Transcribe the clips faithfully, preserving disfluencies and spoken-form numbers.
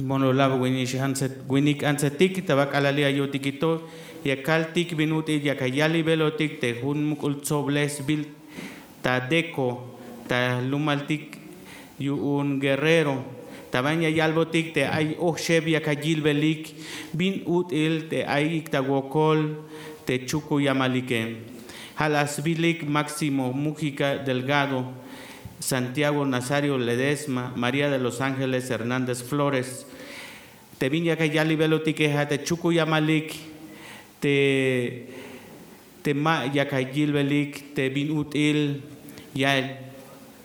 Mololab winik antsetik ta ba k'alal li' ayo'tik ito, ya kaltik bin ut'il yak ayalibelotik te jun muk'ul tsoblej sbiil ta Deko ta lumaltik yu'un Guerrero. Ta ban ya yalbotik te ay oxeb yak ayilbelik bin ut'il te ayik ta wokol te Chukuyamalike. Ja' la sbilik Máximo Mújica Delgado, Santiago Nazario Ledesma, María de los Ángeles Hernández Flores. Te bin yak ayalibelotik ja' te Chukuyamalik te te ma yak ayilbelik te bin ut'il ya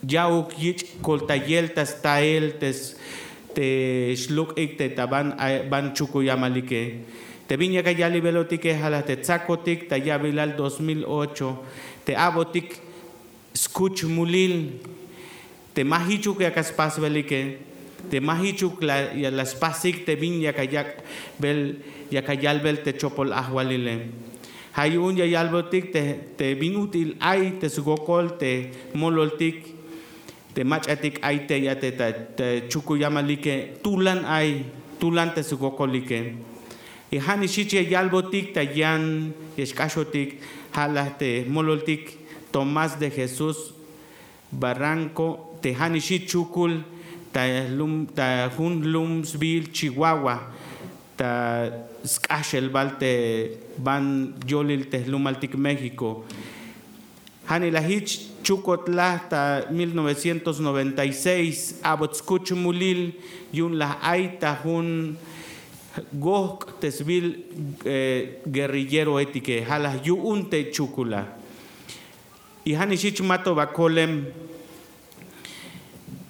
ya'uk yich' koltayel ta stael te slok'ik te ta ban Chukuyamalike. Te bin yak ayalibelotike ja' la te tsakotik ta ya'bilal dos mil ocho te a'botik skuch mulil te ma jichuk yak aspasbelike, te ma jichuk la spasik te bin yak ayak'bel yak ayalbel te chopol ajwalile. Ja' yu'un ya yalbotik te bin ut'il ay te swokol te mololtik te mach'atik ay te ya te ta Chukuyamalike tulan ay tulan te swokolike. Y ja' nix jich ya yalbotik ta yan ya xk'axotik ja' la te mololtik Tomás de Jesús Barranco te ja' nix jich chukul ta jun jlum sbiil Chihuahua ta sk'axelbal te ban yolil te jlumaltik México. Ja' nix la jich chukot la ta mil novecientos noventa y seis a'bot skuch mulil yu'un la ay ta jun gojk' te sbiil guerrilleroetike ja' la yu'un te chukul la. Y ja' nix jich mato ba kolem.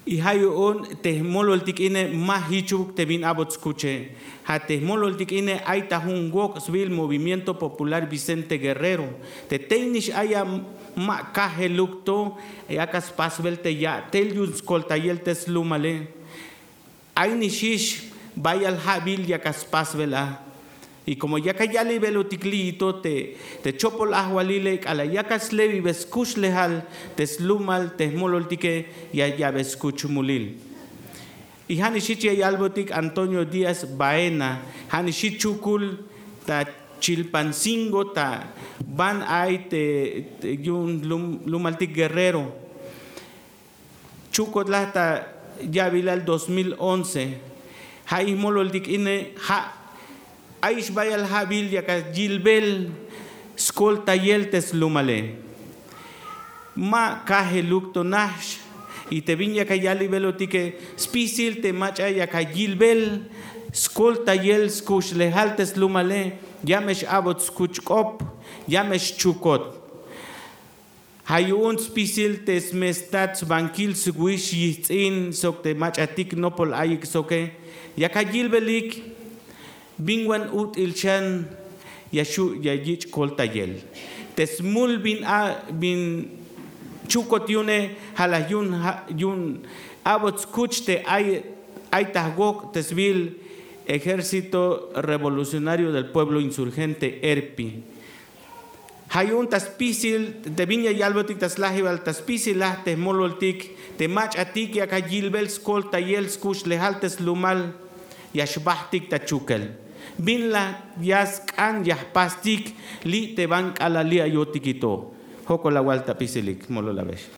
Y ja' yu'un te jmololtik ine ma jichuk te bin a'bot skuche. Ja' te jmololtik ine ay ta jun gojk' sbiil Movimiento Popular Vicente Guerrero. Te tey nix ay a ma kajeluk to yak aspasbel te ya'tel yu'un skoltayel te slumale. Ay nix jich bayal ja'bil yak aspasbel a. Y komo yak ayalibelotik li'ito te chopol ajwalile k'alal yak aslebibe skuxlejal te slumal te jmololtike ya ya'be skuch mulil. Y ja' nix jich ya yalbotik Antonio Díaz Baena ja' nix jich chukul ta Chilpancingo ta ban ay te yu'un lumaltik Guerrero. Chukot la ta ya'bilal dos mil once. Ja' ix mololtik ine ja' ay ix bayal ja'bil yak ayilbel skoltayel te slumale. Ma kajeluk to nax. Y te bin yak ayalibelotike spisil te mach'a yak ayilbel skoltayel skuxlejal te slumale. Ya me x-a'bot skuch k'op. Ya me xchukot. Ja' yu'un spisil te smestat sbankil swix yijts'in sok te mach'atik nopol ayik soke yak ayilbelik bin wan ut'il xan ya xu' ya yich' koltayel te smul bin a bin chukot yu'une. Ja' la yu'un a'bot skuch te ay ay ta jwok' te sbiil Ejército Revolucionario del Pueblo Insurgente, ERPI. Ja' yu'un ta spisil te bin ya yalbotik ta slajibal ta spisil laj te jmololtik te mach'atik yak ayilbel skoltayel skuxlejal te slumal ya xbajtik ta chukel bin la ya sk'an ya jpastik li' te ban k'alal li' ayo'tik ito. Jokol awal ta pisilik molol abex.